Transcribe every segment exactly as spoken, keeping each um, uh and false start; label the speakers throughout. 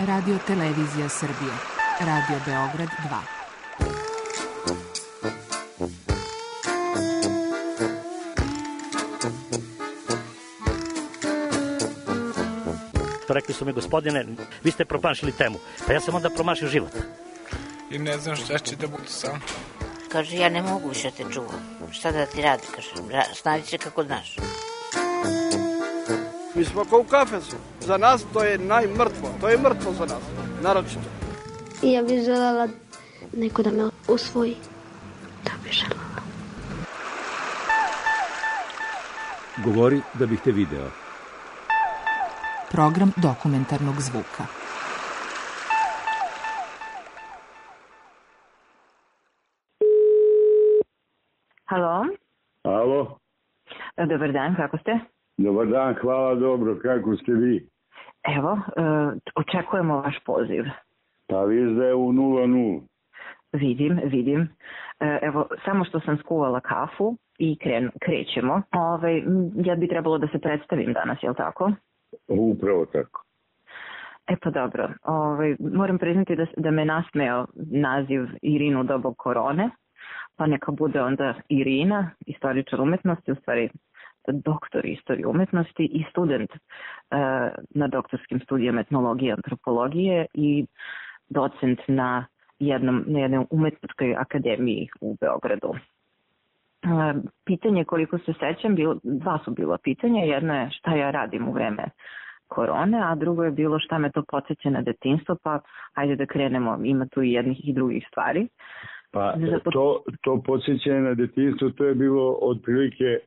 Speaker 1: Radio Televizija Srbije. Radio Beograd dva.
Speaker 2: Rekli su mi, gospodine, vi ste promašili temu. Pa ja sam onda promašio život.
Speaker 3: I ne znam šta će da bude sam.
Speaker 4: Kaže, ja ne mogu više te čuvam. Šta da ti radi, kaže, snađi se kako znaš.
Speaker 5: Mi smo kao u kafesu. Za nas to je najmrtvo. To je mrtvo za nas, naročito.
Speaker 6: I ja bih želela neko da me usvoji. Da bih želela.
Speaker 7: Govori da bih te video.
Speaker 1: Program dokumentarnog zvuka.
Speaker 8: Halo?
Speaker 9: Alo?
Speaker 8: Dobar dan, kako ste?
Speaker 9: Dobar dan, hvala, dobro, kako ste vi?
Speaker 8: Evo, očekujemo vaš poziv.
Speaker 9: Pa viš da je u nula nula.
Speaker 8: Vidim, vidim. Evo, samo što sam skuvala kafu i kren, krećemo. Ove, ja bi trebalo da se predstavim danas, je li tako?
Speaker 9: Upravo tako.
Speaker 8: E pa dobro, Ove, moram priznati da, da me nasmeo naziv Irina u dobu korone, pa neka bude onda Irina, istoričar umetnosti, u stvari doktor istorije umetnosti i student uh, na doktorskim studijama etnologije i antropologije i docent na, jednom, na jednoj umetničkoj akademiji u Beogradu. Uh, pitanje, koliko se sećam, bilo, dva su bila pitanja. Jedno je šta ja radim u vreme korone, a drugo je bilo šta me to podsjeća na detinjstvo, pa ajde da krenemo, ima tu i jednih i drugih stvari.
Speaker 9: Pa to, to podsjećanje na detinjstvo, to je bilo otprilike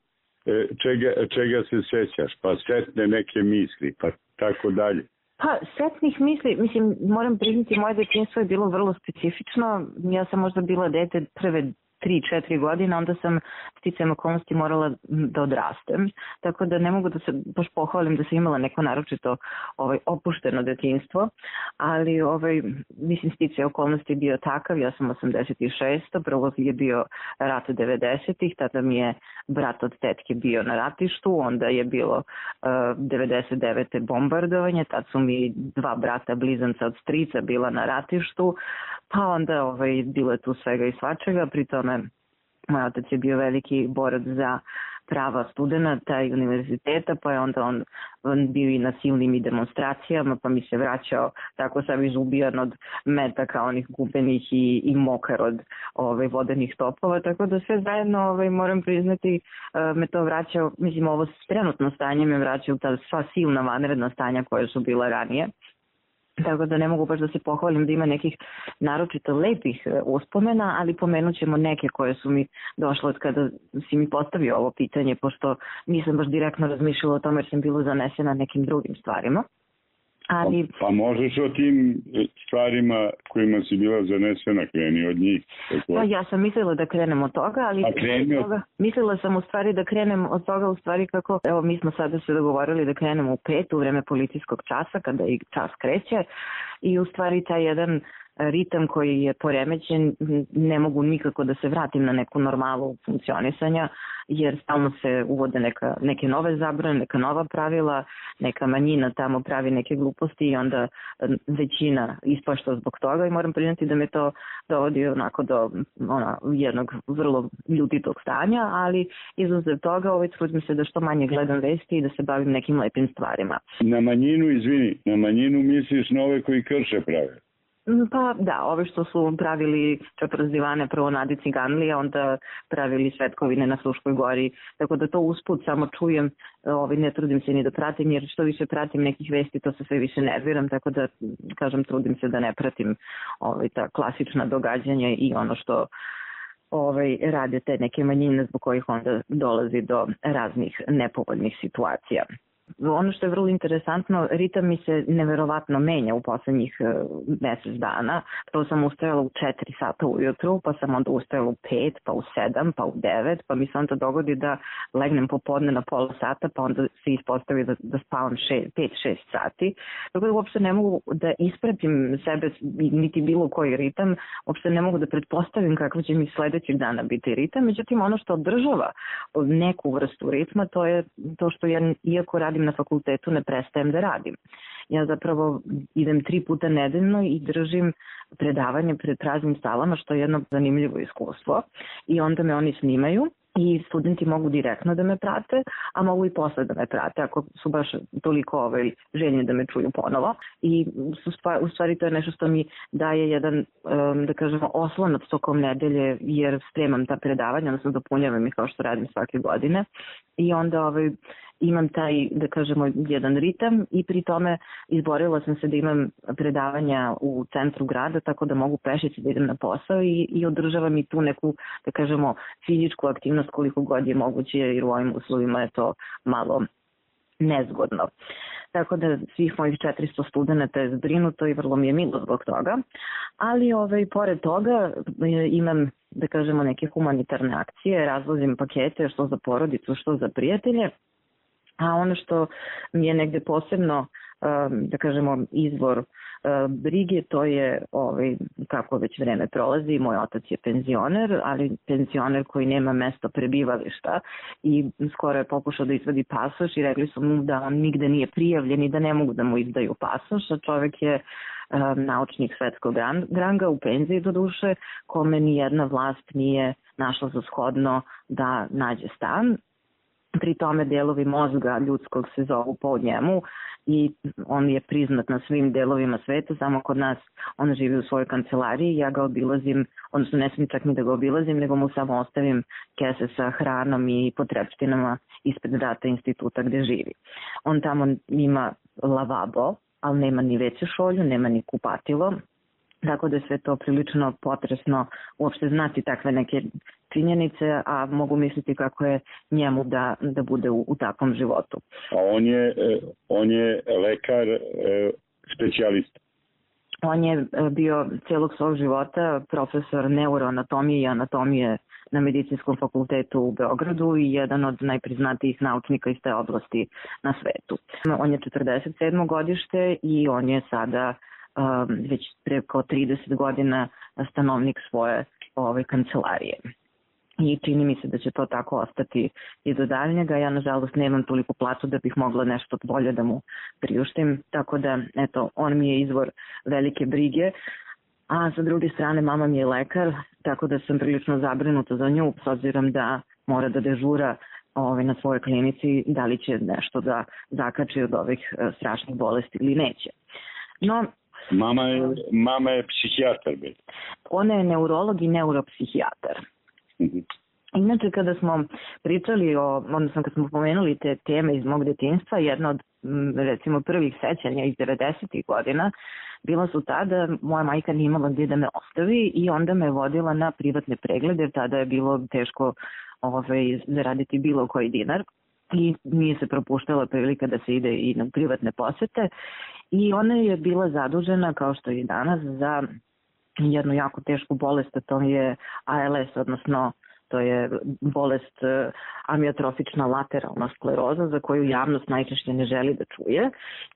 Speaker 9: čega, čega se sećaš, pa setne neke misli, pa tako dalje.
Speaker 8: Pa setnih misli, mislim, moram priznati, moje detinjstvo je bilo vrlo specifično. Ja sam možda bila dete prve tri četiri godine, onda sam sticajem okolnosti morala da odrastem. Tako da ne mogu da se baš pohvalim da sam imala neko naročito ovaj, opušteno detinjstvo, ali ovaj, mislim sticajem okolnosti je bio takav, ja sam osamdeset šeste. Prvo je bio rat devedesetih. Tada mi je brat od tetke bio na ratištu, onda je bilo uh, devedeset devete bombardovanje, tad su mi dva brata blizanca od strica bila na ratištu, pa onda ovaj, bilo je tu svega i svačega, pri tome moj otac je bio veliki borac za prava studenta i univerziteta, pa je onda on, on bio i na silnim i demonstracijama, pa mi se vraćao tako sam izubijan od metaka onih gubenih i, i mokar od ovaj, vodenih topova, tako da sve zajedno ovaj, moram priznati me to vraćao, mislim ovo trenutno stanje me vraćao ta sva silna vanredna stanja koje su bila ranije. Tako da ne mogu baš da se pohvalim da ima nekih naročito lepih uspomena, ali pomenut ćemo neke koje su mi došle od kada si mi postavio ovo pitanje, pošto nisam baš direktno razmišljala o tome jer sam bila zanesena nekim drugim stvarima. Ali... Pa,
Speaker 9: pa možeš o tim stvarima kojima si bila zanesena, kreni od njih. Tako?
Speaker 8: Pa ja sam mislila da krenem od toga, ali od toga, mislila sam u stvari da krenem od toga u stvari kako, evo mi smo sada se dogovorili da krenemo u pet u vreme policijskog časa kada i čas kreće i u stvari taj jedan ritam koji je poremećen, ne mogu nikako da se vratim na neku normalu funkcionisanja, jer stalno se uvode neka, neke nove zabrane, neka nova pravila, neka manjina tamo pravi neke gluposti i onda većina ispašta zbog toga i moram priznati da me to dovodi onako do ona, jednog vrlo ljutitog stanja, ali izuzev toga ovaj trudim se da što manje gledam vesti i da se bavim nekim lepim stvarima.
Speaker 9: Na manjinu, izvini, na manjinu misliš na ove koji krše prave?
Speaker 8: Pa da, ove što su pravili čeprzdivane prvo na Adi Ciganlija, onda pravili Svetkovine na Fruškoj gori, tako da to usput samo čujem, ovaj, ne trudim se ni da pratim, jer što više pratim nekih vesti, to se sve više nerviram, tako da, kažem, trudim se da ne pratim ovaj, ta klasična događanja i ono što ovaj, rade te neke manjine zbog kojih onda dolazi do raznih nepovoljnih situacija. Ono što je vrlo interesantno, ritam mi se neverovatno menja u poslednjih mesec dana. Prvo sam ustajala u četiri sata ujutru, pa sam onda ustajala u pet, pa u sedam, pa u devet, pa mi se onda dogodi da legnem popodne na pola sata, pa onda se ispostavi da, da spavam pet šest sati. Tako da uopšte ne mogu da ispratim sebe, niti bilo koji ritam, uopšte ne mogu da pretpostavim kako će mi sledećeg dana biti ritam. Međutim, ono što održava neku vrstu ritma, to je to što ja, iako radim radim na fakultetu ne prestajem da radim. Ja zapravo idem tri puta nedeljno i držim predavanje pred praznim salama, što je jedno zanimljivo iskustvo. I onda me oni snimaju i studenti mogu direktno da me prate, a mogu i posle da me prate ako su baš toliko ovaj, željni da me čuju ponovo. I u stvari to je nešto što mi daje jedan, da kažemo, oslonac tokom nedelje, jer spremam ta predavanja, odnosno dopunjavam ih kao što radim svake godine. I onda ovaj, imam taj, da kažemo, jedan ritam i pri tome izborila sam se da imam predavanja u centru grada, tako da mogu pešići da idem na posao i, i održavam i tu neku, da kažemo, fizičku aktivnost koliko god je moguće, jer u ovim uslovima je to malo nezgodno. Tako da svih mojih četiristo studenta je zbrinuto i vrlo mi je milo zbog toga. Ali ovaj, pored toga imam, da kažemo, neke humanitarne akcije, razvozim pakete što za porodicu, što za prijatelje. A ono što mi je negde posebno, da kažemo, izvor brige, to je, ovaj, kako već vreme prolazi, moj otac je penzioner, ali penzioner koji nema mesto prebivališta i skoro je pokušao da izvadi pasoš i rekli su mu da on nigde nije prijavljen i da ne mogu da mu izdaju pasoš, a čovek je naučnik svetskog ranga u penziji do duše, kome ni jedna vlast nije našla za shodno da nađe stan. Pri tome delovi mozga ljudskog se zovu po njemu i on je priznat na svim delovima sveta, samo kod nas on živi u svojoj kancelariji, ja ga obilazim, odnosno ne smijem čak ni da ga obilazim, nego mu samo ostavim kese sa hranom i potrepštinama ispred vrata instituta gde živi. On tamo ima lavabo, ali nema ni veću šolju, nema ni kupatilo, tako da je sve to prilično potresno uopšte znati takve neke činjenice, a mogu misliti kako je njemu da, da bude u, u takvom životu.
Speaker 9: A on je, on je lekar, specijalista?
Speaker 8: On je bio celog svog života profesor neuroanatomije i anatomije na Medicinskom fakultetu u Beogradu i jedan od najpriznatijih naučnika iz te oblasti na svetu. On je četrdeset sedmo godište i on je sada um, već preko trideset godina stanovnik svoje ove kancelarije. I čini mi se da će to tako ostati i do daljnjega. Ja, nažalost, nemam toliko platu da bih mogla nešto bolje da mu priuštim, tako da, eto, on mi je izvor velike brige. A sa druge strane, mama mi je lekar, tako da sam prilično zabrinuta za nju, s obzirom da mora da dežura ovaj, na svojoj klinici, da li će nešto da zakači od ovih uh, strašnih bolesti ili neće. No,
Speaker 9: Mama je, mama je psihijatar. Be.
Speaker 8: Ona je neurolog i neuropsihijatar. Inače, kada smo pričali o, odnosno kad smo pomenuli te teme iz mog detinjstva, jedna od, recimo, prvih sećanja iz devedesetih godina bila su ta da moja majka nije imala gdje da me ostavi i onda me vodila na privatne preglede, tada je bilo teško ovaj, zaraditi bilo koji dinar i nije se propuštala prilika da se ide i na privatne posete i ona je bila zadužena, kao što je i danas, za jednu jako tešku bolest, a to je A L S, odnosno to je bolest amiotrofična lateralna skleroza za koju javnost najčešće ne želi da čuje.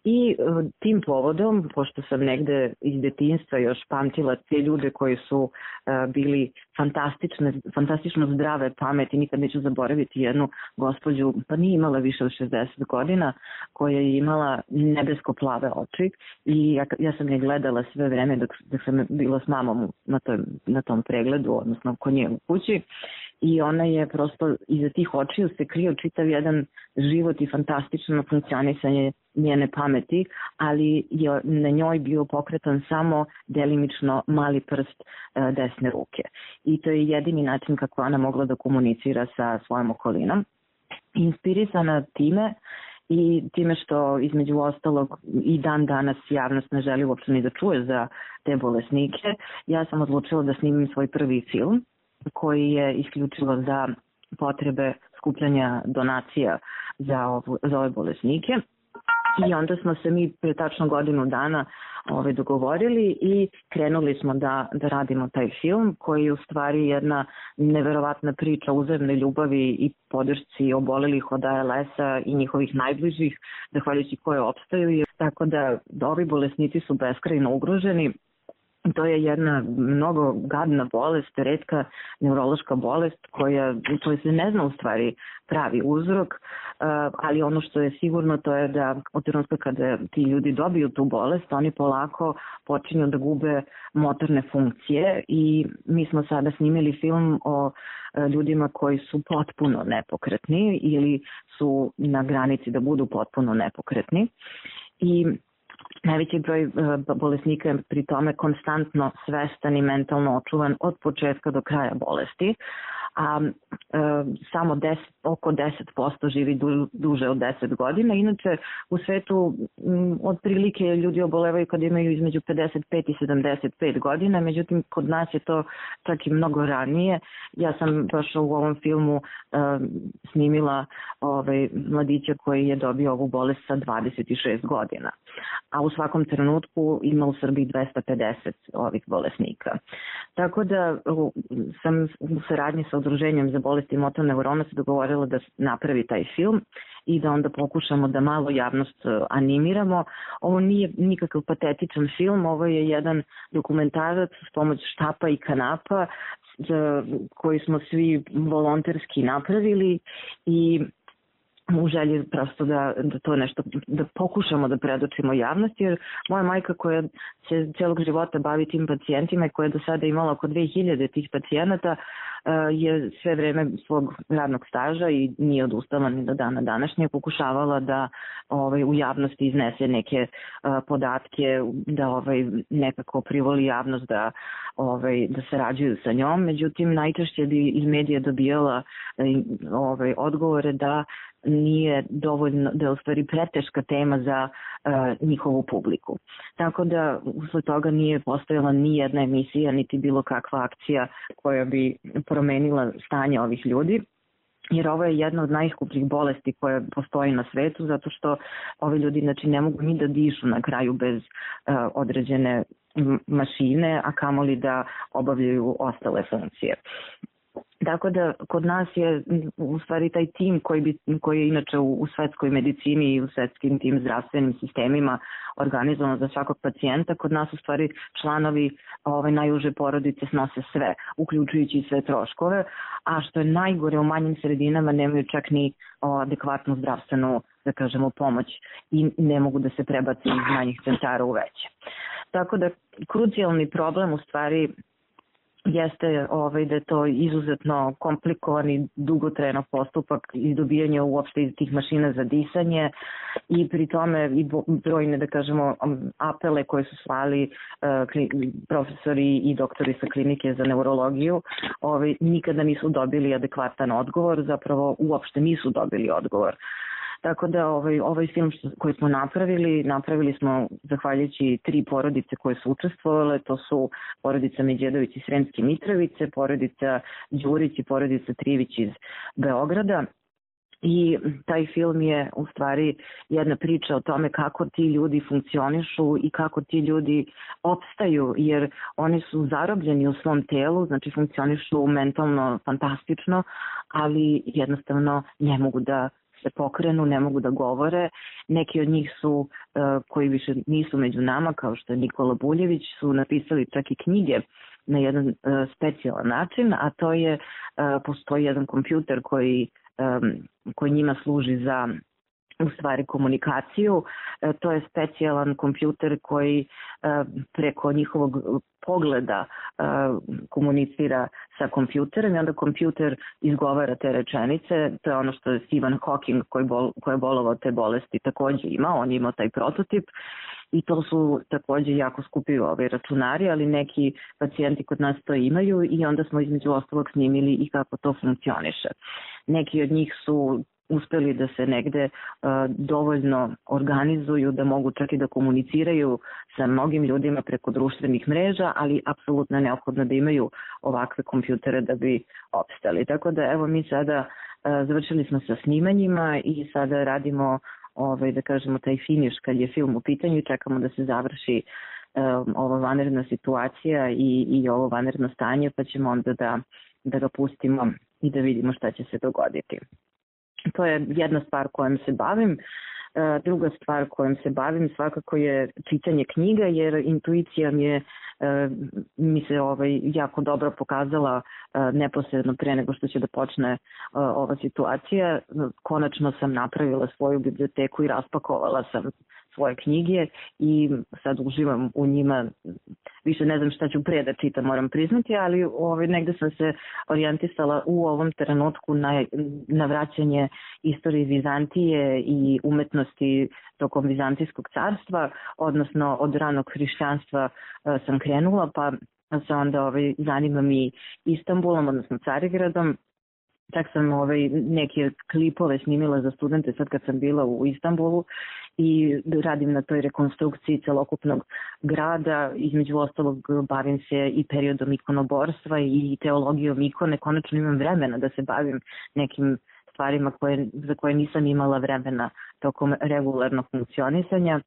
Speaker 8: I tim povodom, pošto sam negde iz detinjstva još pamtila te ljude koji su bili fantastične, fantastično zdrave pameti, nikad neću zaboraviti jednu gospođu, pa nije imala više od šezdeset godina, koja je imala nebesko-plave oči i ja, ja sam je gledala sve vreme dok, dok sam bila s mamom na, toj, na tom pregledu, odnosno kod nje u kući. I ona je prosto, iza tih očiju se krio čitav jedan život i fantastično funkcionisanje njene pameti, ali je na njoj bio pokretan samo delimično mali prst e, desne ruke. I to je jedini način kako ona mogla da komunicira sa svojom okolinom. Inspirisana time i time što između ostalog i dan danas javnost ne želi uopšte ni da čuje za te bolesnike, ja sam odlučila da snimim svoj prvi film koji je isključivo za potrebe skupljanja donacija za, ovo, za ove bolesnike. I onda smo se mi pre tačno godinu dana ove, dogovorili i krenuli smo da, da radimo taj film koji je u stvari jedna neverovatna priča uzajamne ljubavi i podršci obolelih od A L S-a i njihovih najbližih, zahvaljujući koje opstaju. Tako da ovi bolesnici su beskrajno ugroženi. To je jedna mnogo gadna bolest, retka neurološka bolest koja, koja se ne zna u stvari pravi uzrok. ali ono što je sigurno to je da od trenutka kada ti ljudi dobiju tu bolest, oni polako počinju da gube motorne funkcije i mi smo sada snimili film o ljudima koji su potpuno nepokretni ili su na granici da budu potpuno nepokretni i najveći broj bolesnika je pri tome konstantno svestan i mentalno očuvan od početka do kraja bolesti, a e, samo deset, oko deset posto živi du, duže od deset godina. Inače, u svetu m, otprilike ljudi obolevaju kad imaju između pedeset pet i sedamdeset pet godina, međutim, kod nas je to čak i mnogo ranije. Ja sam baš u ovom filmu e, snimila ovaj, mladića koji je dobio ovu bolest sa dvadeset šest godina, a u svakom trenutku ima u Srbiji dvesta pedeset ovih bolesnika. Tako da sam u saradnji sa Udruženjem za bolesti motorne neurona se dogovorila da napravi taj film i da onda pokušamo da malo javnost animiramo. Ovo nije nikakav patetičan film, ovo je jedan dokumentarac s pomoć štapa i kanapa koji smo svi volonterski napravili i u želji prosto da, da to nešto, da pokušamo da predočimo javnosti, jer moja majka koja se celog života bavi tim pacijentima i koja je do sada imala oko dve hiljade tih pacijenata je sve vreme svog radnog staža i nije odustala ni do dana današnje, pokušavala da ovaj, u javnosti iznese neke uh, podatke, da ovaj, nekako privoli javnost da, ovaj, da sarađuju sa njom, međutim najčešće bi iz medija dobijala ovaj, odgovore da nije dovoljno, da je u stvari preteška tema za uh, njihovu publiku. Tako da usled toga nije postojala ni jedna emisija, niti bilo kakva akcija koja bi promenila stanje ovih ljudi. Jer ovo je jedna od najskupljih bolesti koja postoji na svetu, zato što ovi ljudi znači, ne mogu ni da dišu na kraju bez uh, određene mašine, a kamoli da obavljaju ostale funkcije. Tako da kod nas je u stvari taj tim koji, bi, koji je inače u, u svetskoj medicini i u svetskim tim zdravstvenim sistemima organizovano za svakog pacijenta, kod nas u stvari članovi ove najuže porodice snose sve, uključujući sve troškove, a što je najgore u manjim sredinama nemaju čak ni o, adekvatnu zdravstvenu, da kažemo, pomoć i ne mogu da se prebaci iz manjih centara u veće. Tako da krucijalni problem u stvari jeste ovaj, da je to izuzetno komplikovan i dugotrajan postupak izdobijanja uopšte iz tih mašina za disanje i pri tome i brojne, da kažemo, apele koje su slali uh, profesori i doktori sa klinike za neurologiju, ovaj, nikada nisu dobili adekvatan odgovor, zapravo uopšte nisu dobili odgovor. Tako da ovaj, ovaj film što, koji smo napravili, napravili smo zahvaljujući tri porodice koje su učestvovale, to su porodica Međedović iz Sremske Mitrovice, porodica Đurić i porodica Trivić iz Beograda. I taj film je u stvari jedna priča o tome kako ti ljudi funkcionišu i kako ti ljudi opstaju, jer oni su zarobljeni u svom telu, znači funkcionišu mentalno fantastično, ali jednostavno ne mogu da se pokrenu, ne mogu da govore. Neki od njih su, uh, koji više nisu među nama, kao što je Nikola Buljević, su napisali čak i knjige na jedan uh, specijalan način, a to je, uh, postoji jedan kompjuter koji, um, koji njima služi za u stvari komunikaciju. E, to je specijalan kompjuter koji e, preko njihovog pogleda e, komunicira sa kompjuterom i onda kompjuter izgovara te rečenice. To je ono što je Stephen Hawking koji, bol, koji je bolovao te bolesti takođe imao, on je imao taj prototip. I to su takođe jako skupi ove računari, ali neki pacijenti kod nas to imaju i onda smo između ostalog snimili i kako to funkcioniše. Neki od njih su uspeli da se negde uh, dovoljno organizuju da mogu čak i da komuniciraju sa mnogim ljudima preko društvenih mreža, ali apsolutno je neophodno da imaju ovakve kompjutere da bi opstali. Tako da evo mi sada uh, završili smo sa snimanjima i sada radimo ovaj, da kažemo taj finiš kad je film u pitanju i čekamo da se završi um, ova vanredna situacija i, i ovo vanredno stanje, pa ćemo onda da, da ga pustimo i da vidimo šta će se dogoditi. To je jedna stvar kojom se bavim. Druga stvar kojom se bavim svakako je čitanje knjiga, jer intuicija mi je mi se ovaj, jako dobro pokazala neposredno pre nego što će da počne ova situacija. Konačno sam napravila svoju biblioteku i raspakovala sam svoje knjige i sad uživam u njima. Više ne znam šta ću pre da čitam, moram priznati, ali ovaj, negde sam se orijentisala u ovom trenutku na, na vraćanje istorije Vizantije i umetnosti tokom Vizantijskog carstva, odnosno od ranog hrišćanstva sam krenula, pa se onda ovaj, zanimam i Istanbulom, odnosno Carigradom. Čak sam ovaj, neke klipove snimila za studente sad kad sam bila u Istanbulu i radim na toj rekonstrukciji celokupnog grada. Između ostalog bavim se i periodom ikonoborstva i teologijom ikone. Konačno imam vremena da se bavim nekim stvarima koje, za koje nisam imala vremena tokom regularnog funkcionisanja.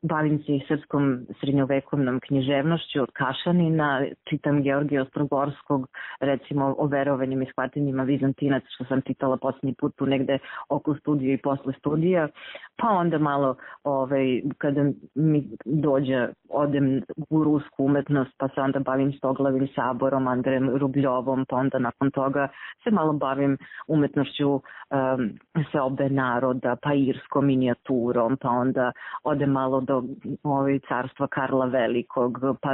Speaker 8: Bavim se i srpskom srednjovekovnom književnošću od Kašanina, čitam Georgija Ostrogorskog, recimo o verovanjima i shvatanjima Vizantinaca, što sam čitala posljednji put tu negde oko studija i posle studija, pa onda malo ovaj, kada mi dođe, odem u rusku umetnost, pa se onda bavim Stoglavim saborom, Andrejem Rubljovom, pa onda nakon toga se malo bavim umetnošću um, seobe naroda, pa irskom minijaturom, pa onda odem malo do ovaj, carstva Karla Velikog, pa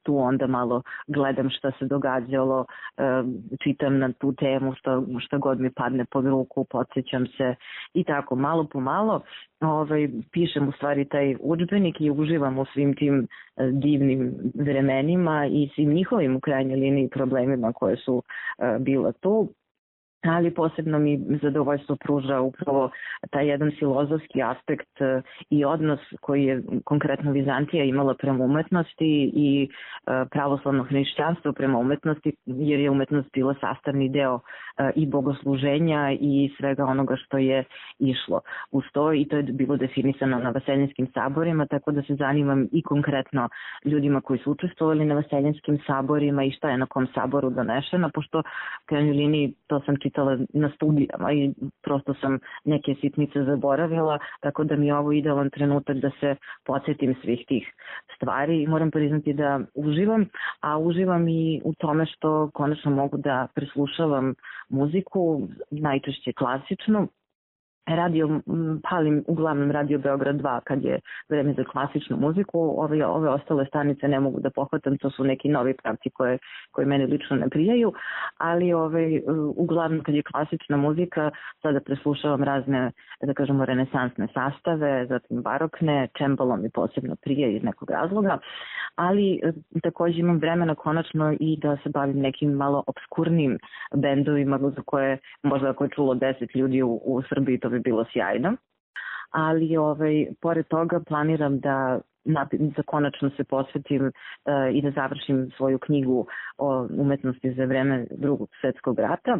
Speaker 8: tu onda malo gledam šta se događalo, čitam na tu temu što, što god mi padne pod ruku, podsjećam se i tako malo po malo ovaj, pišem u stvari taj udžbenik i uživam u svim tim divnim vremenima i svim njihovim u krajnjoj liniji problemima koje su bila tu. Ali posebno mi zadovoljstvo pruža upravo taj jedan filozofski aspekt i odnos koji je konkretno Vizantija imala prema umetnosti i pravoslavno hrišćanstvo prema umetnosti, jer je umetnost bila sastavni deo i bogosluženja i svega onoga što je išlo uz to, i to je bilo definisano na Vaseljinskim saborima, tako da se zanimam i konkretno ljudima koji su učestvovali na Vaseljinskim saborima i šta je na kom saboru donešeno, pošto u krajnjoj liniji to sam čitala na studijama i prosto sam neke sitnice zaboravila, tako da mi je ovo idealan trenutak da se podsjetim svih tih stvari i moram priznati da uživam, a uživam i u tome što konačno mogu da preslušavam muziku, najčešće klasičnu. Radio, palim uglavnom Radio Beograd dva kad je vreme za klasičnu muziku, ove, ove ostale stanice ne mogu da pohvatam, to su neki novi pravci koje, koje mene lično ne prijaju, ali ove, uglavnom kad je klasična muzika, sada preslušavam razne, da kažemo, renesansne sastave, zatim barokne, čembalo mi posebno prije iz nekog razloga, ali također imam vremena konačno i da se bavim nekim malo obskurnim bendovima za koje možda ako je čulo deset ljudi u, u Srbiji, to bi bilo sjajno, ali ovaj, pored toga planiram da za konačno se posvetim uh, i da završim svoju knjigu o umetnosti za vreme Drugog svjetskog rata,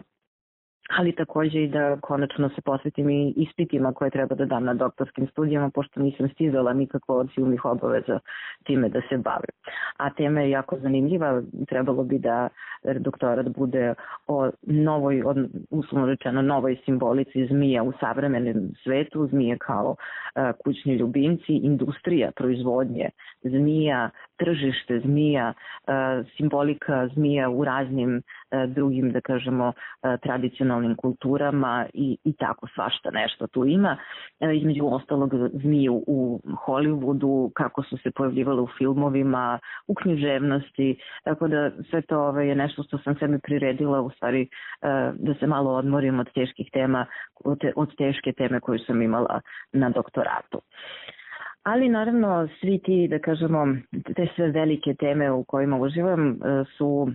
Speaker 8: ali također i da konačno se posvetim i ispitima koje treba da dam na doktorskim studijama, pošto nisam stizala nikako od silnih obaveza time da se bavim. A tema je jako zanimljiva, trebalo bi da doktorat bude o novoj, uslovno rečeno, novoj simbolici zmija u savremenom svetu, zmije kao uh, kućni ljubimci, industrija proizvodnje zmija, tržište zmija, uh, simbolika zmija u raznim uh, drugim, da kažemo, uh, tradicionalnim kulturama i, i tako svašta nešto tu ima. Uh, između ostalog zmiju u Hollywoodu, kako su se pojavljivale u filmovima, u književnosti, tako da sve to ovaj, je nešto što sam sebi priredila u stvari uh, da se malo odmorim od teških tema, od, te, od teške teme koju sam imala na doktoratu. Ali naravno svi ti, da kažemo, te sve velike teme u kojima uživam su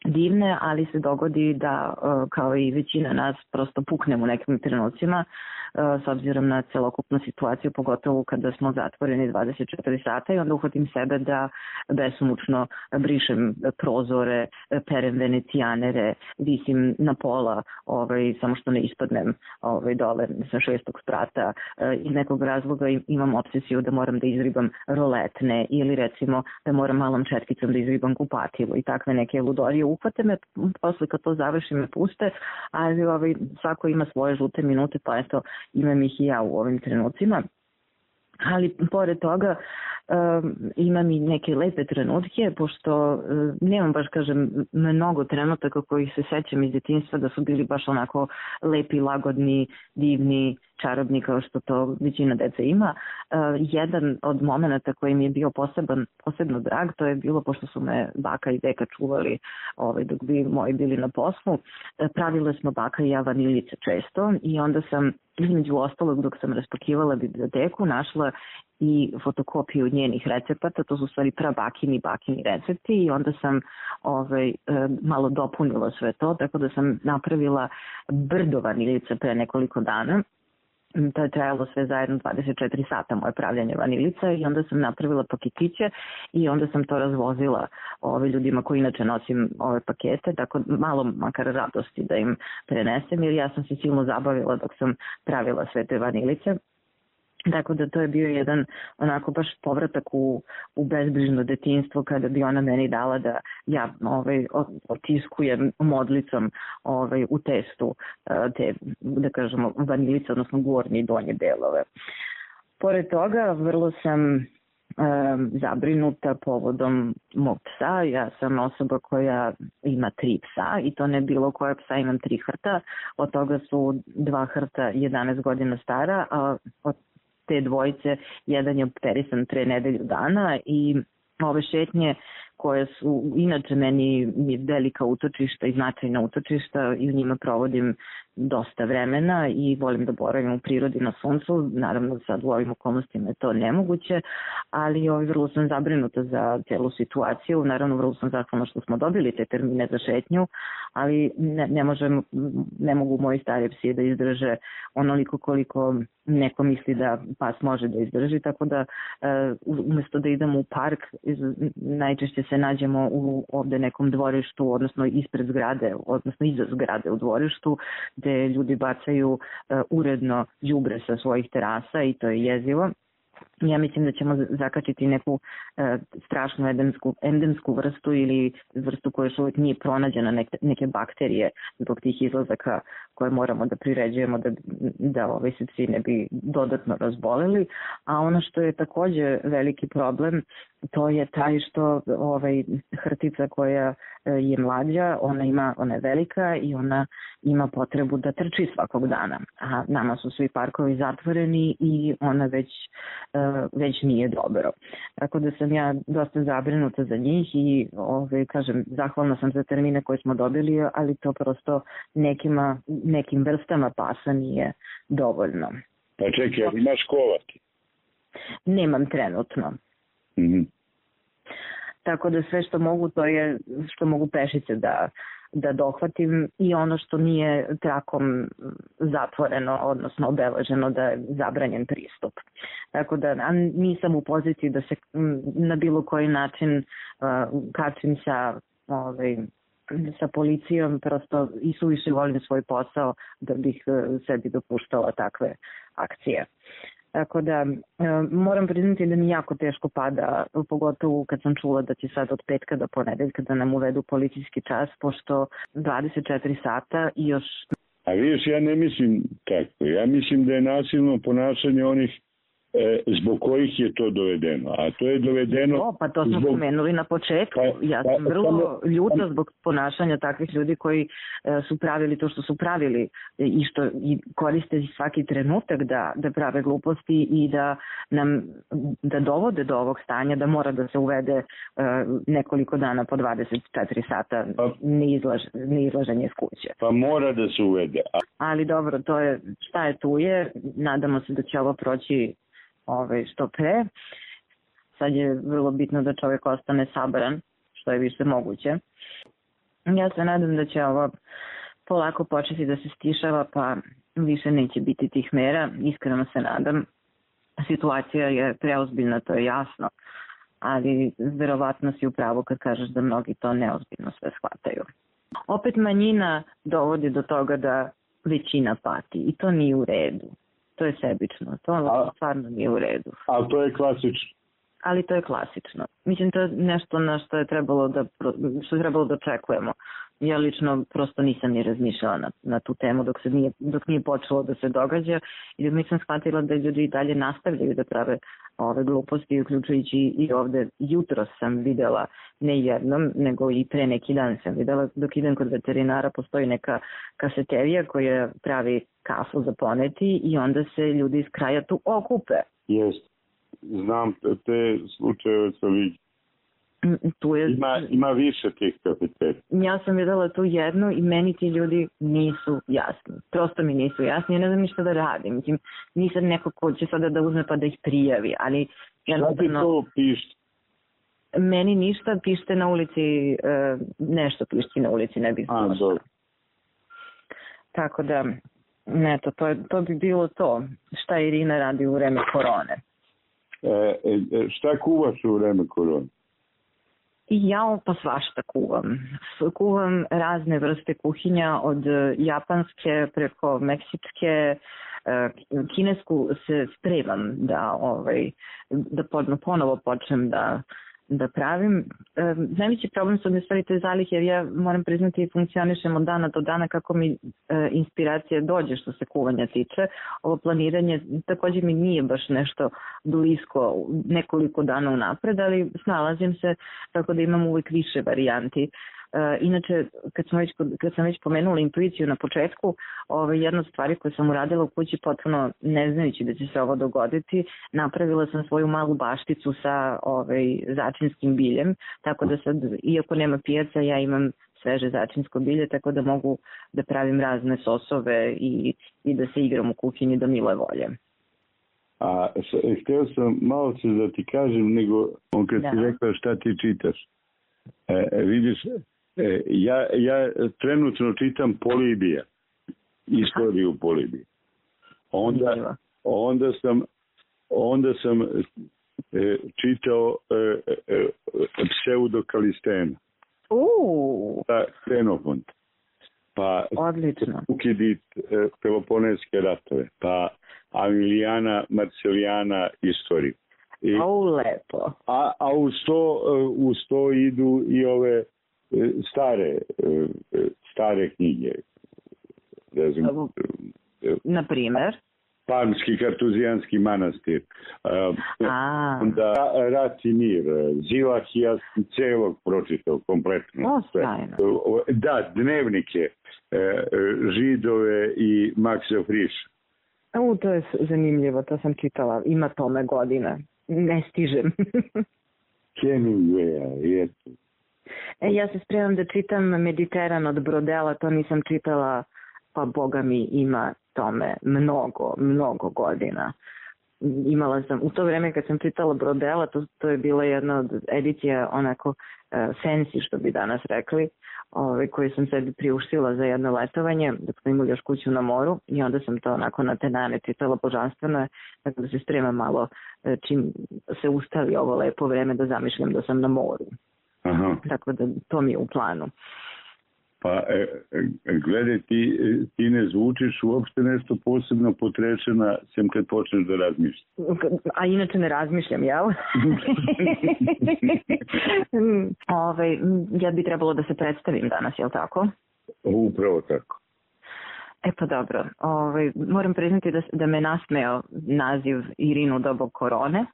Speaker 8: divne, ali se dogodi da kao i većina nas prosto puknem u nekim trenucima s obzirom na celokupnu situaciju, pogotovo kada smo zatvoreni dvadeset četiri sata i onda uhvatim sebe da besumučno brišem prozore, perem venecijanere, visim na pola, ovaj, samo što ne ispadnem ovaj, dole sa šestog sprata. Iz nekog razloga imam obsesiju da moram da izribam roletne ili recimo da moram malom četkicom da izribam kupatilo i takve neke ludorije. Uhvate me, posle kad to završim me puste, ali ovaj, svako ima svoje žute minute, pa eto imam ih i ja u ovim trenucima. Ali pored toga um, imam i neke lepe trenutke, pošto um, nemam baš, kažem, mnogo trenutaka kojih se sećam iz djetinjstva da su bili baš onako lepi, lagodni, divni, čarobni kao što to većina dece ima. Uh, jedan od momenata koji mi je bio poseban, posebno drag, to je bilo pošto su me baka i deka čuvali ovaj, dok bi moji bili na poslu. Uh, pravile smo baka i ja vaniljice često i onda sam između ostalog dok sam raspakivala biblioteku našla i fotokopiju njenih recepata, to su stvari prabakini bakini recepti i onda sam ovaj, malo dopunila sve to, tako da sam napravila brdo vaniljica pre nekoliko dana. To je trajalo sve zajedno dvadeset četiri sata moje pravljanje vanilica i onda sam napravila paketiće i onda sam to razvozila ove ljudima koji inače nosim ove pakete, tako malo makar radosti da im prenesem jer ja sam se silno zabavila dok sam pravila sve te vanilice. Tako da to je bio jedan onako baš povratak u, u bezbrižno detinjstvo kada bi ona meni dala da ja ovaj, otiskujem modlicom ovaj, u testu te, da kažemo, vanilice, odnosno gornje i donje delove. Pored toga, vrlo sam um, zabrinuta povodom mog psa. Ja sam osoba koja ima tri psa i to ne bilo koja psa, imam tri hrta. Od toga su dva hrta jedanaest godina stara, a od te dvojice, jedan je operisan pre nedelju dana i ove šetnje koje su inače meni velika utočišta i značajna utočišta i u njima provodim dosta vremena i volim da boravim u prirodi na suncu. Naravno sad u ovim okolnostima je to nemoguće, ali ovaj, vrlo sam zabrinuta za celu situaciju. Naravno vrlo sam zahvalna što smo dobili te termine za šetnju, ali ne, ne, možem, ne mogu moji stari psi da izdrže onoliko koliko neko misli da pas može da izdrži, tako da umesto da idemo u park, najčešće se nađemo u ovde nekom dvorištu, odnosno ispred zgrade, odnosno iza zgrade u dvorištu, gde ljudi bacaju uh, uredno đubre sa svojih terasa i to je jezivo. Ja mislim da ćemo zakačiti neku e, strašnu endemsku, endemsku vrstu ili vrstu koja još uvijek nije pronađena, neke, neke bakterije zbog tih izlazaka koje moramo da priređujemo da, da ovaj se psi ne bi dodatno razboleli. A ono što je takođe veliki problem, to je taj što ovaj, hrtica koja je mlađa, ona, ima, ona je velika i ona ima potrebu da trči svakog dana. A nama su svi parkovi zatvoreni i ona već već nije dobro. Tako da sam ja dosta zabrinuta za njih i ove, kažem, zahvalna sam za termine koje smo dobili, ali to prosto nekima, nekim vrstama pasa nije dovoljno.
Speaker 9: Pa čekaj, ali imaš kovati?
Speaker 8: Nemam trenutno.
Speaker 9: Mm-hmm.
Speaker 8: Tako da sve što mogu, to je što mogu pešice da da dohvatim i ono što nije trakom zatvoreno, odnosno obeleženo da je zabranjen pristup. Tako da nisam u poziciji da se na bilo koji način uh, kačim sa, ovaj, sa policijom, prosto i suviše volim svoj posao da bih uh, sebi dopuštala takve akcije. Tako da moram priznati da mi jako teško pada, pogotovo kad sam čula da će sad od petka do ponedeljka da nam uvedu policijski čas, pošto dvadeset četiri sata i još...
Speaker 9: A vidiš, ja ne mislim tako. Ja mislim da je nasilno ponašanje onih e, zbog kojih je to dovedeno. A to je dovedeno...
Speaker 8: O, pa to smo zbog... spomenuli na početku. Pa, ja sam pa, vrlo pa, ljuta zbog ponašanja takvih ljudi koji e, su pravili to što su pravili i što i koriste svaki trenutak da, da prave gluposti i da nam da dovode do ovog stanja da mora da se uvede e, nekoliko dana po dvadeset četiri sata pa, neizlaž, neizlaženje iz kuće.
Speaker 9: Pa mora da se uvede. A...
Speaker 8: Ali dobro, to je šta je tu je. Nadamo se da će ovo proći Ove, što pre. Sad je vrlo bitno da čovjek ostane sabran, što je više moguće. Ja se nadam da će ovo polako početi da se stišava, pa više neće biti tih mera. Iskreno se nadam. Situacija je preozbiljna, to je jasno, ali verovatno si u pravu kad kažeš da mnogi to neozbiljno sve shvataju. Opet manjina dovodi do toga da većina pati i to nije u redu. To je sebično, to a, stvarno nije u redu.
Speaker 9: Ali to je klasično.
Speaker 8: Ali to je klasično. Mislim, to je nešto na što je trebalo da, što je trebalo da očekujemo. ja lično prosto nisam ni razmišljala na, na tu temu dok, se nije, dok nije počelo da se događa i dok nisam shvatila da ljudi i dalje nastavljaju da prave ove gluposti, uključujući i ovde. Jutro sam videla, ne jednom, nego i pre neki dan sam videla, dok idem kod veterinara, postoji neka kaseterija koja pravi kafu za poneti i onda se ljudi iz kraja tu okupe.
Speaker 9: Jest, znam te slučajeve sa vidim.
Speaker 8: Tu je,
Speaker 9: ima, ima više tih kafeterija.
Speaker 8: Ja sam videla tu jednu i meni ti ljudi nisu jasni. Prosto mi nisu jasni, ja ne znam ništa da radim. Mislim, nisam neko ko će sada da uzme pa da ih prijavi, ali...
Speaker 9: Šta ti to pište?
Speaker 8: Meni ništa, pište na ulici, nešto pišti na ulici, ne bih znala šta. Tako da, eto, to, to bi bilo to. Šta Irina radi u vreme korone?
Speaker 9: E, e, šta kuvaš u vreme korone?
Speaker 8: I ja pa svašta kuvam. Kuvam razne vrste kuhinja, od japanske preko meksičke, kinesku se spremam da, ovaj, da ponovo počnem da, da pravim. Najveći problem su mi stvari te zalihe, jer ja moram priznati i funkcionišem od dana do dana kako mi inspiracija dođe što se kuvanja tiče. Ovo planiranje također mi nije baš nešto blisko nekoliko dana unapred, ali snalazim se tako da imam uvijek više varijanti. Inače, kad sam već, kad sam već pomenula intuiciju na početku, ovaj, jedna od stvari koje sam uradila u kući potpuno ne znajući da će se ovo dogoditi, napravila sam svoju malu bašticu sa ovaj, začinskim biljem, tako da sad, iako nema pijaca, ja imam sveže začinsko bilje, tako da mogu da pravim razne sosove i, i da se igram u kuhinji do mile volje.
Speaker 9: A htio sam malo se da ti kažem, nego on kad da. ti rekao šta ti čitaš. E, vidiš, e, ja, ja trenutno čitam Polibija, istoriju Polibija. Onda, onda sam, onda sam e, čitao e, e, Pseudokalistena.
Speaker 8: Uuu.
Speaker 9: Pa Ksenofont. Pa
Speaker 8: odlično.
Speaker 9: Ukidit e, Peloponeske ratove. Pa Amilijana Marcelijana istoriju. I,
Speaker 8: o, lepo.
Speaker 9: A, a uz, to, uz to idu i ove stare, stare knjige. Ne znam,
Speaker 8: na primjer?
Speaker 9: Parmski kartuzijanski manastir.
Speaker 8: A.
Speaker 9: Onda Rat i mir. Zilahija celog pročitao kompletno.
Speaker 8: O, stajno.
Speaker 9: Da, dnevnike Židove i Maksa Friša.
Speaker 8: U, to je zanimljivo, to sam čitala. Ima tome godine. Ne stižem.
Speaker 9: Hemingwaya, jesu.
Speaker 8: E, ja se spremam da čitam Mediteran od Brodela, to nisam čitala, pa boga mi ima tome mnogo, mnogo godina. Imala sam, u to vreme kad sam čitala Brodela, to, to je bila jedna od edicija onako uh, fancy, što bi danas rekli, ove, koje sam sebi priuštila za jedno letovanje, dok smo imali još kuću na moru, i onda sam to onako na tenane čitala, božanstveno je, tako da se spremam malo čim se ustavi ovo lepo vreme da zamišljam da sam na moru.
Speaker 9: Aha.
Speaker 8: Tako da to mi je u planu.
Speaker 9: Pa e, gledaj, ti, ti ne zvučiš uopšte nešto posebno potrešena, sem kad počneš da razmišljaš.
Speaker 8: A inače ne razmišljam, jel? Ove, ja bi trebalo da se predstavim danas, jel tako?
Speaker 9: Upravo tako.
Speaker 8: E pa dobro, Ove, moram priznati da, da me nasmeo naziv Irinu dobo korone,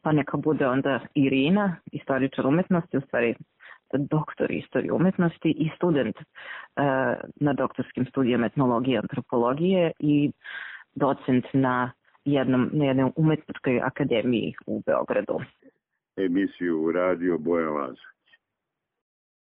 Speaker 8: pa neka bude onda Irina, istoričar umetnosti, u stvari doktor istorije umetnosti i student uh, na doktorskim studijama etnologije i antropologije i docent na, jednom, na jednoj umetničkoj akademiji u Beogradu.
Speaker 9: Emisiju Radio Boja Laza.